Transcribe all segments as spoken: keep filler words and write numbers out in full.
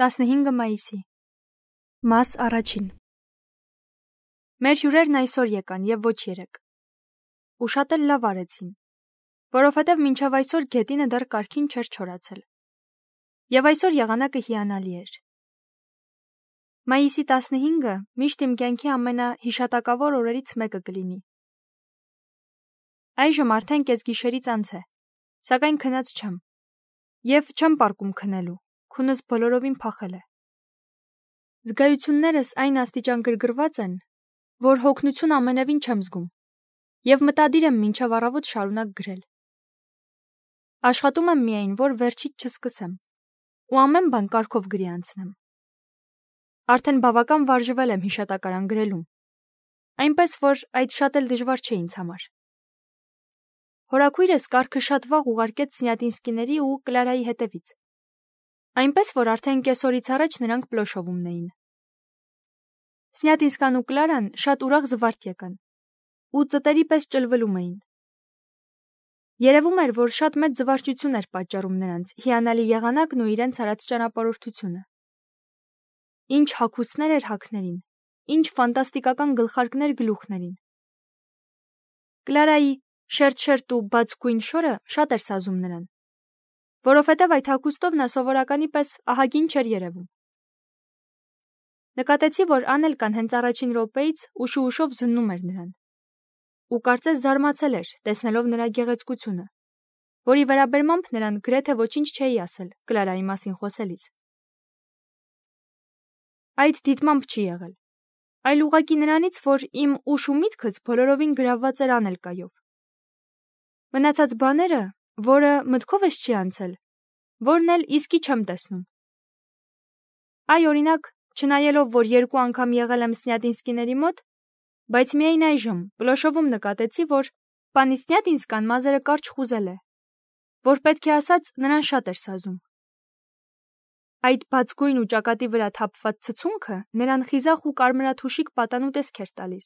տասնհինգ մայիսի Մաս առաջին Մեր հյուրերն այսօր եկան և ոչ երեկ, ու շատ էլ լավ արեցին, որովհետև մինչև այսօր գետինը դեռ կարգին չէր չորացել, և այսօր եղանակը հիանալի էր։ Մայիսի տասնհինգը միշտ իմ կյանքի ամենահիշատակավոր օրերից մեկը կլինի։ Այժմ արդեն կեսգիշերից անց է, սակայն քնած չեմ, և չեմ պառկում քնելու, քունս բոլորովին փախել է։ Զգայություններս այն աստիճան գրգռված են, որ հոգնություն ամենևին չեմ զգում, և մտադիր եմ մինչև առավոտ շարունակ գրել։ Աշխատում եմ միայն, որ վերջից չսկսեմ, ու ամեն բան կարգով գրի անցնեմ։ Արդեն բավական վարժվել եմ հիշատակարան գրելուն, այնպես որ այդ շատ էլ դժվար չէ ինձ համար։ Հորաքույրս կարգը շատ վաղ ուղարկեց Սնյատինսկիների ու Կլարայի հետևից, այնպես որ արդեն կեսօրից առաջ նրանք Պլոշովում էին։ Սնյատինսկան ու Կլարան շատ ուրախ զվարթ եկան, ու ծտերի պես ճլվլում էին։ Երևում էր, որ շատ մեծ զվարճություն էր պատճառում նրանց հիանալի եղանակն ու իրենց արած ճանապարհորդությունը։ Ինչ հագուստներ էր հագներին, ինչ ֆանտաստիկական գլխարկներ գլուխներին։ Կլարայի շերտ-շերտ ու բաց գույն շորը շատ էր սազում նրան, որովհետև այդ հագուստով նա սովորականի պես ահագին չէր երևում։ Նկատեցի, որ Անելկան հենց առաջին րոպեից ուշ-ուշով զննում էր նրան, ու կարծես զարմացել էր, տեսնելով նրա գեղեցկությունը, որի վերաբերմամբ նրան գրեթե ոչինչ չէի ասել Կլարայի մասին խոսելիս։ Այդ դիտմամբ չի եղել, այլ ուղղակի նրանից, որ իմ ուշ ու միտքս բոլորովին գրավված էր Անելկայով։ Մնացած բաները, որը մտքովս չի անցել, որն էլ իսկի չեմ տեսնում։ Այ օրինակ, չնայելով, որ երկու անգամ եղել եմ Սնյատինսկիների մոտ, բայց միայն այժմ Պլոշովում նկատեցի, որ պանի Սնյատինսկան մազերը կարճ խուզել է, որ պետք է ասած նրան շատ էր սազում։ Այդ բաց գույն ու ճակատի վրա թափված ցցունքը նրան խիզախ ու կարմրաթուշիկ պատանու տեսք էր տալիս։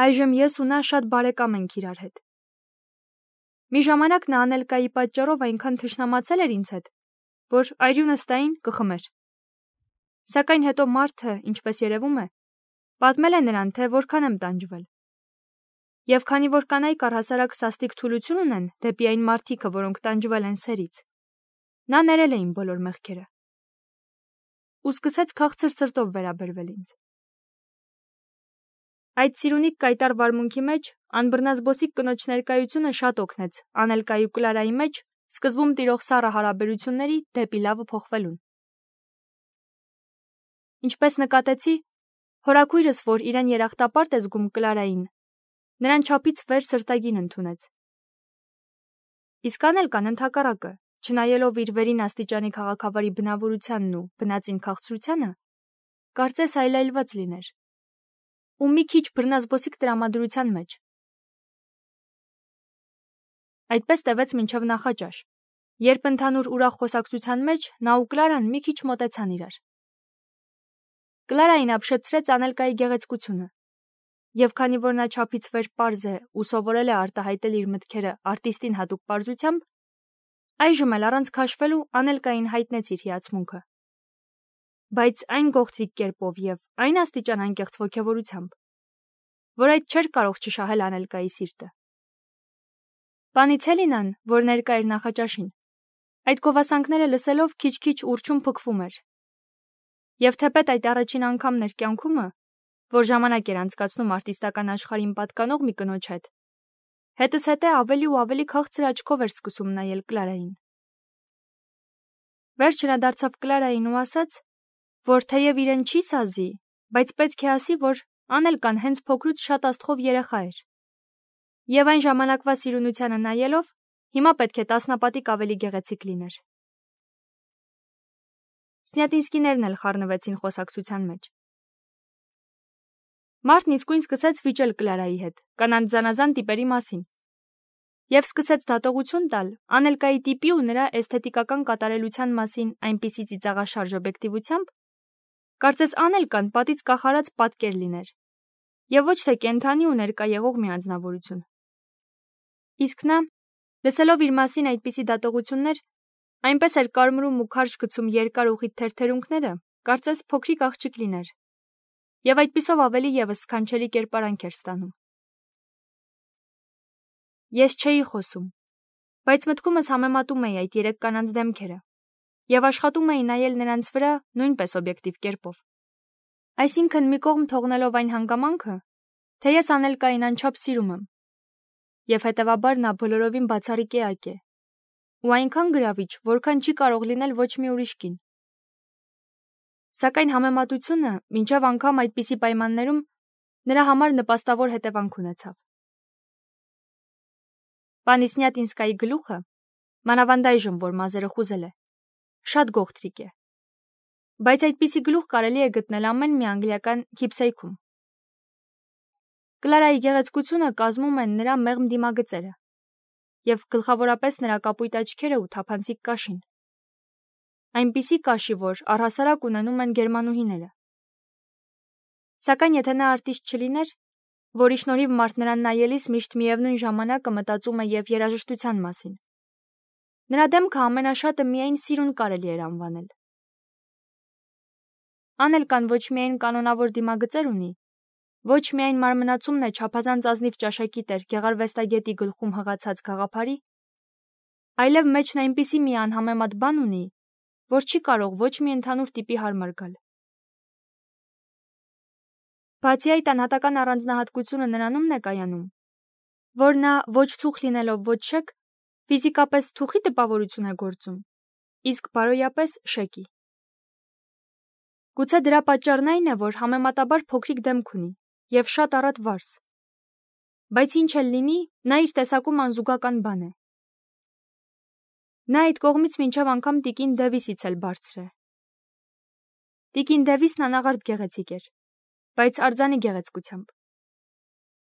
Այժմ ես ու նա շատ բարեկամ ենք իրար հետ։ Մի ժամանակ նա Անելկայի պատճառով այնքան թշնամացել էր ինձ հետ, որ այրունս տային կխմեր։ Սակայն հետո մարդը, ինչպես երևում է, պատմել է նրան, թե որքան եմ տանջվել։ Եվ քանի որ կանայք առհասարակ սաստիկ թուլություն ունեն դեպի այն մարդիկը, որոնք տանջվել են սերից, նա ներել է իմ բոլոր մեղքերը ու սկսեց քաղցր սրտով վերաբերվել ինձ։ Այդ սիրունիկ կայտառ վարմունքի մեջ անբռնազբոսիկ կնոջ ներկայությունը շատ օգնեց Անելկայի ու Կլարայի մեջ սկզբում տիրող սառը հարաբերությունների դեպի լավը փոխվելուն։ Ինչպես նկատեցի, հորաքույրս, որ իրեն երախտապարտ է զգում Կլարային, նրան չափից վեր սրտագին ընդունեց։ Իսկ Անելկան ընդհակառակը, չնայելով իր վերին աստիճանի քաղաքավարի բնավորությանն ու բնածին քաղցրությանը, կարծես այլայլված լիներ, ու մի քիչ բռնազբոսիկ տրամադրության մեջ։ Այդպես տևեց մինչև նախաճաշ, երբ ընդհանուր ուրախ խոսակցության մեջ նա ու Կլարան մի քիչ մոտեցան իրար։ Կլարային ապշեցրեց Անելկայի գեղեցկությունը, և քանի որ նա չափից վեր պարզ է ու սովորել է արտահայտել իր մտքերը արտիստին հատուկ պարզությամբ, այժմ էլ առանց քաշվելու Անելկային հայտնեց իր հիացմունքը, բայց այն գողտրիկ կերպով և այն աստիճան անկեղծ ոգևորությամբ, որ այդ չէր կարող չշահել Անելկայի սիրտը։ Պանի Ցելինան, որ ներկա էր նախաճաշին, այդ գովասանքները լսելով քիչ-քիչ ուռչում փքվում էր, և թեպետ այդ առաջին անգամն էր կյանքումը, որ ժամանակ էր անցկացնում արտիստական աշխարհին պատկանող մի կնոջ հետ, հետզհետե ավելի ու ավելի քաղցր աչքով էր սկսում նայել Կլարային։ Վերջը նա դարձավ Կլարային ու ասաց, որ թեև իրեն չի սազի, բայց պետք է ասի, որ Անելկան հենց փոքրուց շատ աստղով երեխա էր, և այն ժամանակվա սիրունությանը նայելով, հիմա պետք է տասնապատիկ ավելի գեղեցիկ լիներ։ Սնյատինսկիներն էլ խառնվեցին խոսակցության մեջ։ Մարդն իսկույն սկսեց վիճել Կլարայի հետ, կանանց զանազան տիպերի մասին, և սկսեց դատողություն տալ Անելկայի տիպի ու նրա էսթետիկական կատարելության մասին այնպիսի ծիծաղաշարժ օբյեկտիվությամբ, կարծես Անելկան պատից կախարած պատկեր լիներ, և ոչ թե կենդանի ու ներկա եղող մի անձնավորություն։ Իսկ նա, լսելով իր մասին այդպիսի դատողություններ, Այնպես էր կարմրում ու քարշ գցում երկար ուղիղ թերթերունքները, կարծես փոքրիկ աղջիկ լիներ, եւ այդպիսով ավելի եւս սքանչելի կերպարանք էր ստանում։ Ես չէի խոսում, բայց մտքումս համեմատում էի այդ երեք կանանց դեմքերը եւ աշխատում էի նայել նրանց վրա նույնպես օբյեկտիվ կերպով։ Այսինքն մի կողմ թողնելով այն հանգամանքը, թե ես Անելկային անչափ սիրում եմ, եւ հետեւաբար նա բոլորովին բացառիկ էակ է, ու այնքան գրավիչ, որքան չի կարող լինել ոչ մի ուրիշ կին։ Սակայն համեմատությունը մինչև անգամ այդպիսի պայմաններում նրա համար նպաստավոր հետևանք ունեցավ։ Պանի Սնյատինսկայի գլուխը, մանավանդ այժմ, որ մազերը խուզել է, շատ գողտրիկ է, բայց այդպիսի գլուխ կարելի է գտնել ամեն մի անգլիական քիփսեյքում։ Կլարայի գեղեցկությունը կազմում են նրա մեղմ դիմագծերը եւ գլխավորապես նրա կապույտ աչքերը ու թափանցիկ կաշին։ Այնպիսի կաշի, որ առհասարակ ունենում են գերմանուհիները։ Սակայն եթե նա արտիստ չլիներ, որի շնորհիվ մարդ նրան նայելիս միշտ միևնույն ժամանակը մտածում է եւ երաժշտության մասին, նրա դեմքը ամենաշատը միայն սիրուն կարելի էր անվանել։ Անելկան ոչ միայն կանոնավոր դիմագծեր ունի, ոչ միայն մարմնացումն է չափազանց ազնիվ ճաշակի տեր Գեղարվեստագետի գլխում հղացած գաղափարի, այլև մեջն այնպիսի մի անհամեմատ բան ունի, որ չի կարող ոչ մի ընդհանուր տիպի հարմար գալ։ Բացի այդ անհատական առանձնահատկությունը նրանումն է կայանում, որ նա ոչ թուխ լինելով ոչ շեք, ֆիզիկապես թուխի տպավորություն է գործում, իսկ բարոյապես շեկի։ Գուցե դրա պատճառն այն է, որ համեմատաբար փոքրիկ դեմք ունի եւ շատ առատ վարս, բայց ինչ էլ լինի, նա իր տեսակում անզուգական բան է։ Նա այդ կողմից մինչև անգամ տիկին Դևիսից էլ բարձր է։ Տիկին Դևիսն անաղարտ գեղեցիկ էր, բայց արձանի գեղեցկությամբ։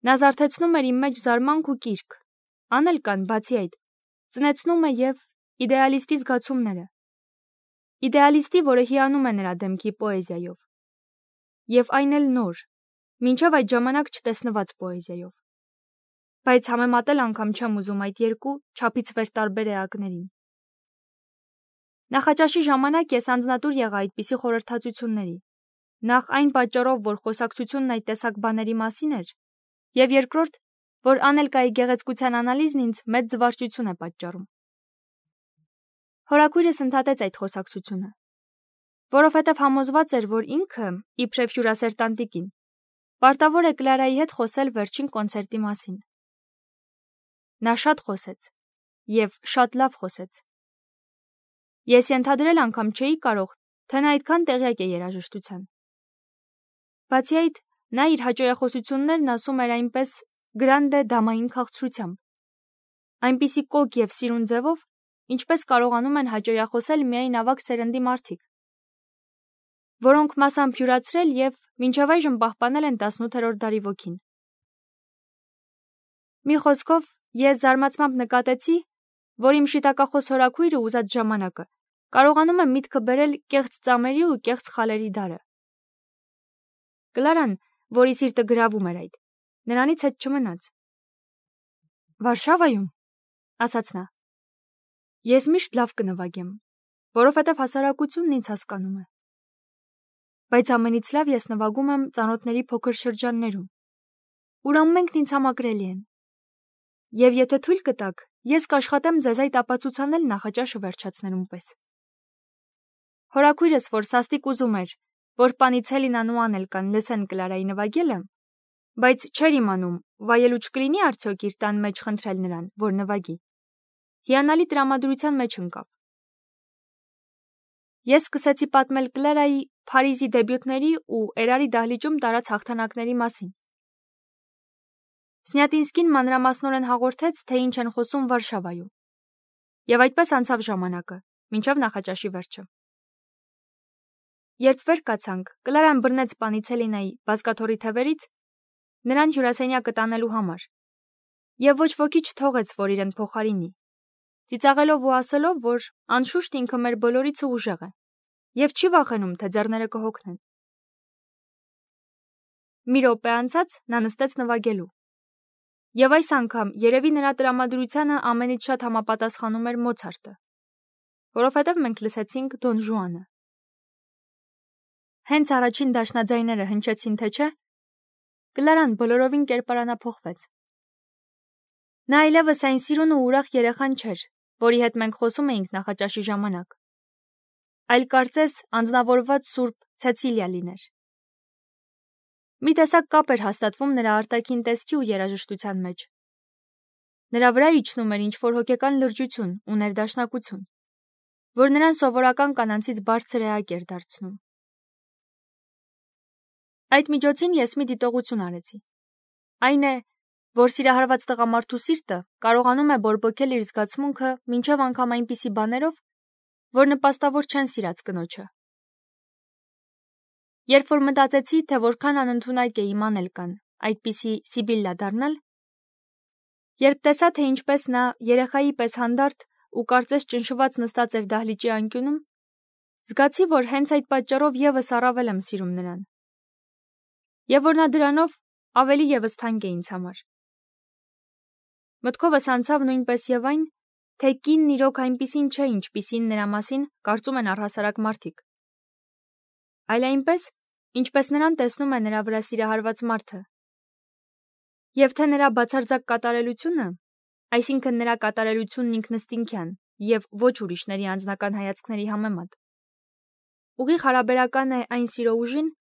Նա զարթեցնում էր իմ մեջ զարմանք ու կիրք, Անելկան, բացի այդ, ծնեցնում է եւ իդեալիստի զգացումները, իդեալիստի, որը հիանում է նրա դեմքի պոեզիայով, եւ այն էլ նոր, մինչև այդ ժամանակ չտեսնված պոեզիայով, բայց համեմատել անգամ չեմ ուզում այդ երկու չափից վեր տարբեր էակներին։ Նախաճաշի ժամանակ ես անձնատուր եղա այդպիսի խորհրդածությունների, նախ այն պատճառով, որ խոսակցությունն այդ տեսակ բաների մասին էր, եւ երկրորդ, որ Անելկայի գեղեցկության անալիզն ինձ մեծ զվարճություն է պատճառում։ Հորաքույրս ընդհատեց այդ խոսակցությունը, որովհետև համոզված էր, որ ինքը, իբրև հյուրասեր տանտիկին, պարտավոր է Կլարայի հետ խոսել վերջին կոնցերտի մասին։ Նա շատ խոսեց, եւ շատ լավ խոսեց։ Ես ենթադրել անգամ չէի կարող, թե նա այդքան տեղյակ է երաժշտության։ Բացի այդ, նա իր հաճոյախոսություններն ասում էր այնպես գրանդե դամային քաղցրությամբ, այնպիսի կոկ եւ սիրուն ձևով, ինչպես կարողանում են հաճոյախոսել միայն ավագ սերնդի մարդիկ, որոնք մասամբ հյուրացրել եւ մինչև այժմ պահպանել են տասնութերորդ դարի ոգին։ Մի խոսքով, ես զարմացմամբ նկատեցի, որ իմ շիտակախոս հորաքույրը ուզած ժամանակը կարողանում է միտքը բերել կեղծ ծամերի ու կեղծ խալերի դարը։ Կլարան, որի սիրտը գրավում էր այդ, նրանից հետ չմնաց։ Վարշավայում, ասաց նա, ես միշտ լավ կնվագեմ, որովհետև հասարակությունն ինձ հասկանում է։ Բայց ամենից լավ ես նվագում եմ ծանոթների փոքր շրջաններում, ուր ամենքն ինձ համակրելի են։ Եվ եթե թույլ կտաք, ես կաշխատեմ ձեզ այդ ապացուցանել նախաճաշը վերջացնելուն պես։ Հորաքույրս, որ սաստիկ ուզում էր, որ Պանիցելինան ու Անելկան լսեն Կլարայի նվագելը, բայց չէր իմանում, վայելու չկլինի արդյոք իր տան մեջ խնդրել նրան, որ նվագի, հիանալի տրամադրության մեջ ընկավ։ Ես սկսեցի պատմել Կլարայի Փարիզի դեբյուտների ու Էրարի դահլիճում տարած հաղթանակների մասին։ Սնյատինսկին մանրամասնորեն հաղորդեց, թե ինչ են խոսում Վարշավայում, եւ այդպես անցավ ժամանակը, մինչև նախաճաշի վերջը։ Երբ վեր կացանք, Կլարան բռնեց Պանիցելինայի բազկաթոռի թևերից նրան հյուրասենյակը տանելու համար, եւ ոչ ոքի չթողեց, որ իրեն փոխարինի, ծիծաղելով ու ասելով, որ անշուշտ ինքը մեր բոլորից ուժեղ է, եւ չի վախենում, թե ձեռները կհոգնեն։ Մի րոպե անցած նա նստեց նվագելու, եւ այս անգամ երևի նրա տրամադրությանը ամենից շատ համապատասխանում էր Մոցարտը, որովհետև մենք լսեցինք Դոն Ժուանը։ Հենց առաջին դաշնաձայները հնչեցին, թե չէ, Կլարան բոլորովին կերպարանափոխվեց։ Նա այլևս այն սիրուն ու ուրախ երեխան չէր, որի հետ մենք խոսում էինք նախաճաշի ժամանակ, այլ կարծես անձնավորված Սուրբ Ցեցիլիա լիներ։ Մի տեսակ կապ էր հաստատվում նրա արտաքին տեսքի ու երաժշտության մեջ։ Նրա վրա իջնում էր ինչ-որ հոգեկան լրջություն ու ներդաշնակություն, որ նրան սովորական կանանցից բարձր էակ էր դարձնում։ Այդ միջոցին ես մի դիտողություն արեցի։ Այն է, որ սիրահարված տղամարդու սիրտը կարողանում է բորբոքել իր զգացմունքը մինչև անգամ այնպիսի բաներով, որ նպաստավոր չեն սիրած կնոջը։ Երբ որ մտածեցի, թե որքան անընդունակ է իմ Անելկան այդպիսի Սիբիլլա դառնալ, երբ տեսա, թե ինչպես նա երեխայի պես հանդարտ ու կարծես ճնշված նստած էր դահլիճի անկյունում, զգացի, որ հենց այդ պատճառով եւս առավել եմ սիրում նրան։ Եվ որ նա դրանով ավելի եւս թանկ է ինձ համար։ Մտքովս անցավ նույնպես եւ այն, թե կինն իրոք այնպիսին չէ, ինչպիսին նրա մասին կարծում են առհասարակ մարդիկ, այլ այնպես, ինչպես նրան տեսնում է նրա վրա սիրահարված մարդը։ Եվ թե նրա բացարձակ կատարելությունը, այսինքն նրա կատարելությունն ինքնըստինքյան եւ ոչ ուրիշների անձնական հայացքների համեմատ, ուղիղ հարաբերական է այն սիրո ուժին,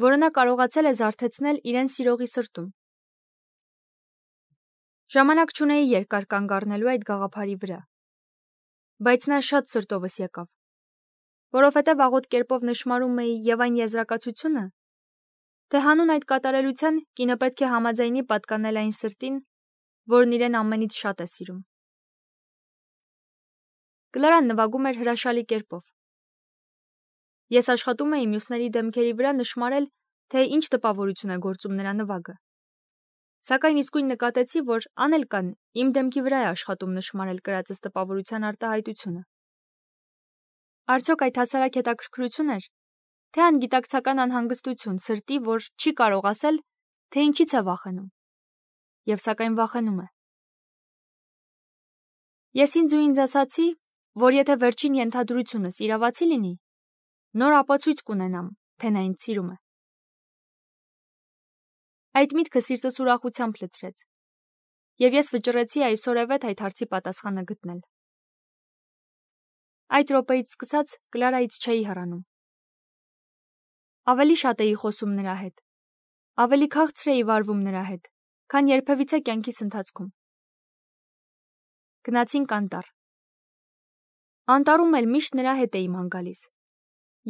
որը նա կարողացել է զարթեցնել իրեն սիրողի սրտում։ Ժամանակ չունեի երկար կանգ առնելու այդ գաղափարի վրա, բայց նա շատ սրտովս եկավ, որովհետև աղոտ կերպով նշմարում էի եւ այն եզրակացությունը, թե հանուն այդ կատարելության կինը պետք է համաձայնի պատկանել այն սրտին, որն իրեն ամենից շատ է սիրում։ Կլարան նվագում էր հրաշալի կերպով։ Ես աշխատում էի մյուսների դեմքերի վրա նշմարել, թե ինչ տպավորություն է գործում նրա նվագը։ Սակայն իսկույն նկատեցի, որ Անելկան իմ դեմքի վրա է աշխատում նշմարել կրածս տպավորության արտահայտությունը։ Արդյոք այդ հասարակ հետաքրքրություն էր, թե անգիտակցական անհանգստություն սրտի, որ չի կարող ասել, թե ինչից է վախենում, եւ սակայն վախենում է։ Ես ինձ ու ինձ ասացի, որ եթե վերջին ենթադրությունս իրավացի լինի, նոր ապացույց կունենամ, թե նա ինձ սիրում է։ Այդ միտքը սիրտս ուրախությամբ լցրեց, եւ ես վճռեցի այսօրևեթ այդ հարցի պատասխանը գտնել։ Այդ րոպեից սկսած Կլարայից չէի հեռանում։ Ավելի շատ էի խոսում նրա հետ, ավելի քաղցր էի վարվում նրա հետ, քան երբևիցե կյանքիս ընթացքում։ Գնացինք անտառ։ Անտառում էլ միշտ նրա հետ էի ման գալիս,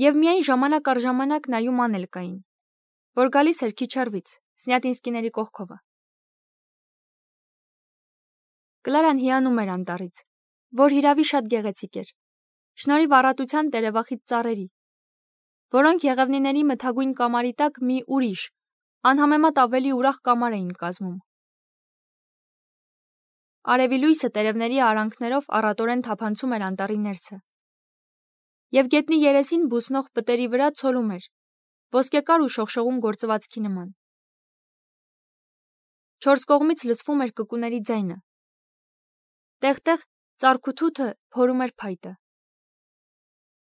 եւ միայն ժամանակ առ ժամանակ նայում Անելկային, որ գալիս էր քիչ հեռվից, Սնյատինսկիների կողքովը։ Կլարան հիանում էր անտառից, որ հիրավի շատ գեղեցիկ էր, շնորհիվ առատության տերևախիտ ծառերի, որոնք եղևնիների մթագույն կամարի տակ մի ուրիշ, անհամեմատ ավելի ուրախ կամար էին կազմում։ Արևի լույսը տերևների արանքներով առատորեն թափանցում էր անտառի ներսը, եւ գետնի երեսին բուսնող պտերի վրա ցոլում էր, ոսկեկար ու շողշողուն գործվածքի նման։ Չորս կողմից լսվում էր կկուների ձայնը։ Տեղ-տեղ ծառքութութը փորում էր փայտը։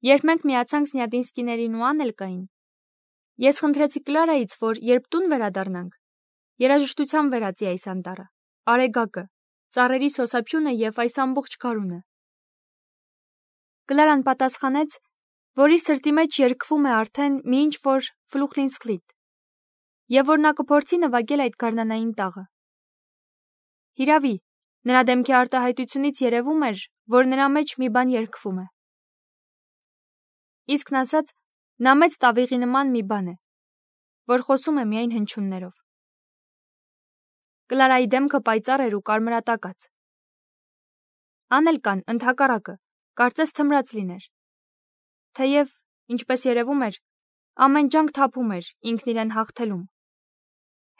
Երբ մենք միացանք Սնյատինսկիներին ու Անելկային, ես խնդրեցի Կլարայից, որ երբ տուն վերադառնանք, երաժշտությամբ վերածի այս անտառը, արեգակը, ծառերի սոսափյունը եւ այս ամբողջ գարունը։ Կլարան պատասխանեց, որ իր սրտի մեջ երգվում է արդեն մի ինչ-որ ֆլուխլինսխլիտ, եւ որ նա կփորձի նվագել այդ գարնանային տաղը։ Հիրավի, նրա դեմքի արտահայտությունից երևում էր, որ նրա մեջ մի բան երգվում է։ Իսկն ասած, նա մեծ տավիղի նման մի բան է, որ խոսում է միայն հնչյուններով։ Կլարայի դեմքը պայծառ էր ու կարմրատակած։ Անելկան, ընդհակառակը, կարծես թմրած լիներ։ Թեև, ինչպես երևում էր, ամեն ջանք թափում էր ինքն իրեն հաղթելում։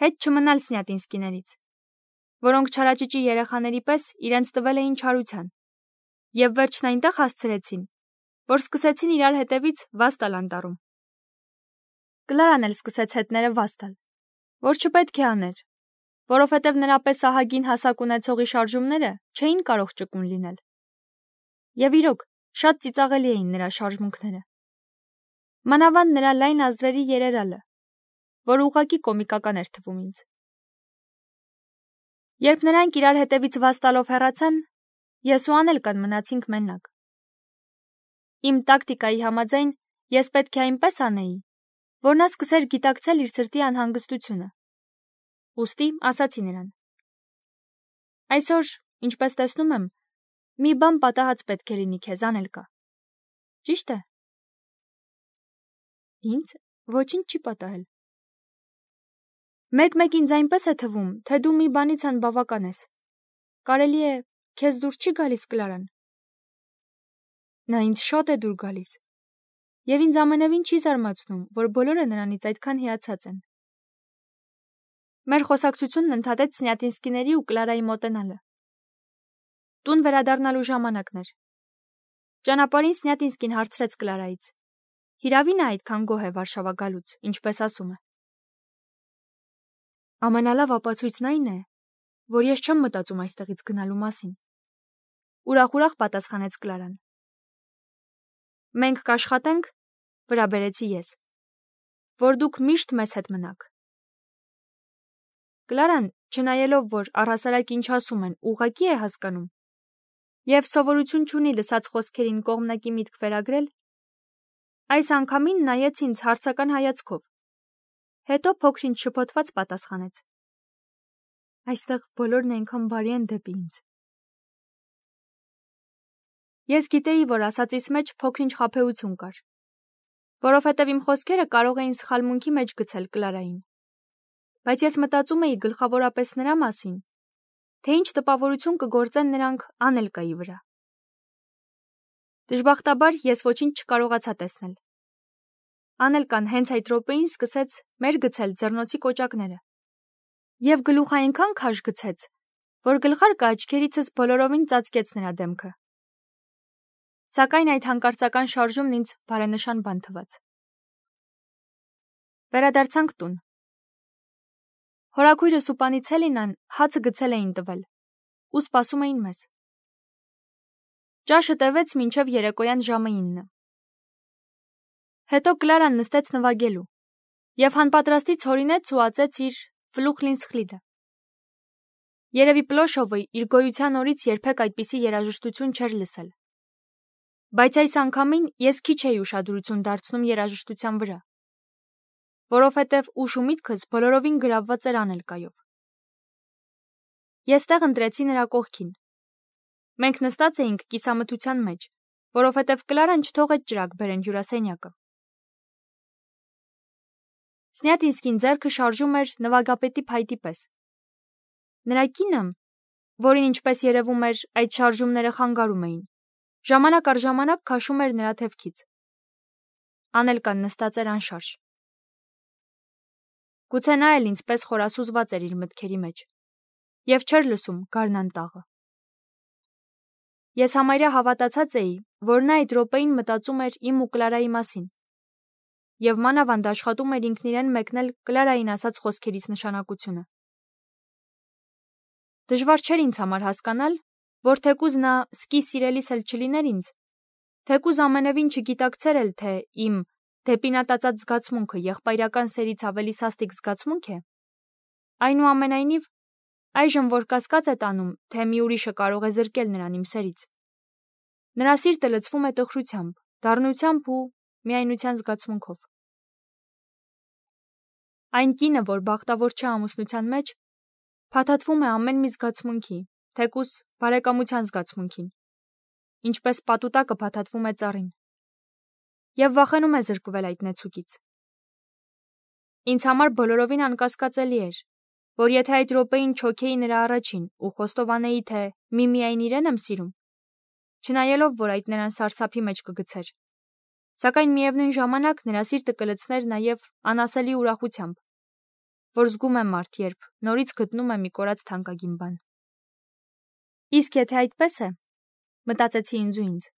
Հետ չմնալ Սնյատինսկիներից, որոնք չարաճճի երեխաների պես իրենց տվել էին չարության, եւ վերջն այնտեղ հասցրեցին, որ սկսեցին իրար հետևից վազ տալ անտառում։ Կլարան էլ սկսեց հետները վազ տալ, որ չպետք է աներ, որովհետև նրա պես ահագին հասակ ունեցողի շարժումները չէին կարող ճկուն լինել։ Եվ իրոք, Շատ ծիծաղելի էին նրա շարժմունքները։ Մանավանդ նրա լայն ազդրերի երերալը, որ ուղղակի կոմիկական էր թվում ինձ։ Երբ նրանք իրար հետևից վաստալով հեռացան, ես ու Անելկան մնացինք մենակ։ Իմ տակտիկայի համաձայն ես պետք է այնպես անեի, որ նա սկսեր գիտակցել իր սրտի անհանգստությունը։ Ուստի ասացի նրան. Այսօր, ինչպես տեսնում եմ, մի բան պատահած պետք է լինի քեզ, Անելկա։ Ճիշտ է։ Ինձ ոչինչ չի պատահել։ Մեկ-մեկ ինձ այնպես է թվում, թե դու մի բանից անբավական ես։ Կարելի է, քեզ դուր չի գալիս Կլարան։ Նա ինձ շատ է դուր գալիս, և ինձ ամենևին չի զարմացնում, որ բոլորը նրանից այդքան հիացած են։ Մեր խոսակցությունն ընդհատեց Սնյատինսկիների ու Կլարայի մոտենալը։ Տուն վերադառնալու ժամանակն էր։ Ճանապարհին Սնյատինսկին հարցրեց Կլարայից. Հիրավի նա այդքան գոհ է Վարշավա գալուց, ինչպես ասում է։ Ամենալավ ապացույցն այն է, որ ես չեմ մտածում այստեղից գնալու մասին։ Ուրախ-ուրախ պատասխանեց Կլարան։ Մենք կաշխատենք, վրա բերեցի ես, որ դուք միշտ մեզ հետ մնաք։ Կլարան, չնայելով, որ առհասարակ ինչ ասում են, ուղղակի է հասկանում, և սովորություն չունի լսած խոսքերին կողմնակի միտք վերագրել, այս անգամին նայեց ինձ հարցական հայացքով, հետո փոքր-ինչ շփոթված պատասխանեց. Այստեղ բոլորն այնքան բարի են դեպի ինձ։ Ես գիտեի, որ ասածիս մեջ փոքր-ինչ խաբեություն կար, որովհետև իմ խոսքերը կարող էին սխալմունքի մեջ գցել Կլարային, բայց ես մտածում էի գլխավորապես նրա մասին, թե ինչ տպավորություն կգործեն նրանք Անելկայի վրա։ Դժբախտաբար ես ոչինչ չկարողացա տեսնել։ Անելկան հենց այդ րոպեին սկսեց մեր գցել ձեռնոցի կոճակները, և գլուխ այնքան քաշ գցեց, որ գլխարկը աչքերիցս բոլորովին ծածկեց նրա դեմքը։ Սակայն այդ հանկարծական շարժումն ինձ բարենշան բան թվաց։ Վերադարձանք տուն։ Հորաքույրս ու պանիծ Հելինան հացը գցել էին տվել ու սպասում էին մեզ։ Ճաշը տևեց մինչև երեկոյան ժամը ինը։ Հետո Կլարան նստեց նվագելու և հանպատրաստից հորինեց ու ածեց իր Ֆլուխլինսխլիդը։ Երևի Պլոշովը իր գոյության օրից երբեք այդպիսի երաժշտություն չէր լսել։ Բայց այս անգամին ես քիչ էի ուշադրություն դարձնում երաժշտության վրա, որովհետև ուշ ու միտքս բոլորովին գրավված էր Անելկայով։ Ես տեղ ընտրեցի նրա կողքին։ Մենք նստած էինք կիսամթության մեջ, որովհետև Կլարան չթողեց ճրագ բերեն հյուրասենյակը։ Սնյատինսկին ձեռքը շարժում էր նվագապետի փայտի պես։ Նրա կինը, որին ինչպես երևում էր այդ շարժումները խանգարում էին, ժամանակ առ ժամանակ քաշում էր նրա թևքից։ Անելկան նստած էր անշարժ։ Գուցե նա էլ ինձպես խորասուզված էր իր մտքերի մեջ և չէր լսում գարնան-տաղը։ Ես համարյա հավատացած էի, որ նա այդ րոպեին մտածում էր իմ ու Կլարայի մասին և մանավանդ աշխատում էր ինքն իրեն մեկնել Կլարային ասած խոսքերից նշանակությունը։ Դժվար չէր ինձ համար հասկանալ, որ թեկուզ նա սկի սիրելիս էլ չլիներ ինձ, թեկուզ ամենևին չգիտակցեր էլ, թե իմ դեպի նա տածած զգացմունքը եղբայրական սերից ավելի սաստիկ զգացմունք է, այնուամենայնիվ, այժմ որ կասկած է տանում, թե մի ուրիշը կարող է զրկել նրան իմ սերից, նրա սիրտը լցվում է տխրությամբ, դառնությամբ ու միայնության զգացմունքով։ Այն կինը, որ բախտավոր չէ ամուսնության մեջ, փաթաթվում է ամեն մի զգացմունքի, թեկուզ բարեկամության զգացմունքին, ինչպես պատուտակը փաթաթվում է ծառին, և վախենում է զրկվել այդ նեցուկից։ Ինձ համար բոլորովին անկասկածելի էր, որ եթե այդ րոպեին չոքեի նրա առաջին ու խոստովանեի, թե միմիայն իրեն եմ սիրում, չնայելով, որ այդ նրան սարսափի մեջ կգցեր, սակայն միևնույն ժամանակ նրա սիրտը կլցներ նաև անասելի ուրախությամբ, որ զգում է մարդ, երբ նորից գտնում է մի կորած թանկագին բան։ Իսկ եթե այդպես է, մտածեցի ինձ ու ինձ,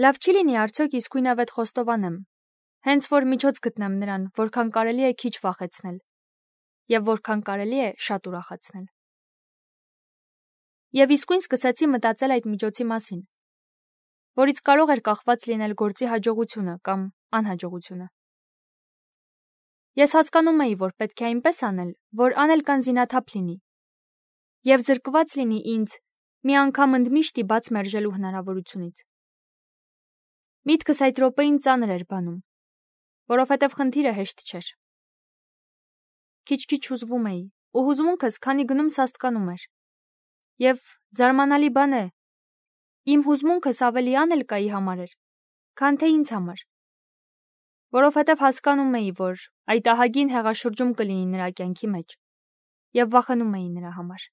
լավ չի լինի արդյոք իսկույնավետ խոստովանեմ, հենց որ միջոց գտնեմ նրան, որքան կարելի է քիչ վախեցնել, և որքան կարելի է շատ ուրախացնել։ Եվ իսկույն սկսեցի մտածել այդ միջոցի մասին։ որից կարող էր կախված լինել գործի հաջողությունը կամ անհաջողությունը։ Ես հասկանում էի, որ պետք է այնպես անել, որ անել կան զինաթափ լինի, և զրկված լինի ինձ մի անգամ ընդմիշտի բաց մերժելու հնարավորությունից։ Միտքս այդ րոպեին ծանր էր բանում, որովհետև խնդիրը հեշտ չէր։ Քիչ-քիչ հուզվում էի, ու հուզմունքս քանի գնում սաստկանում էր։ Եվ զարմանալի բան է, իմ հուզմունքս ավելի Անելկայի համար էր, քան թե ինձ համար, որովհետև հասկանում էի, որ այդ ահագին հեղաշրջում կլինի նրա կյանքի մեջ, և վախենում էի նրա համար։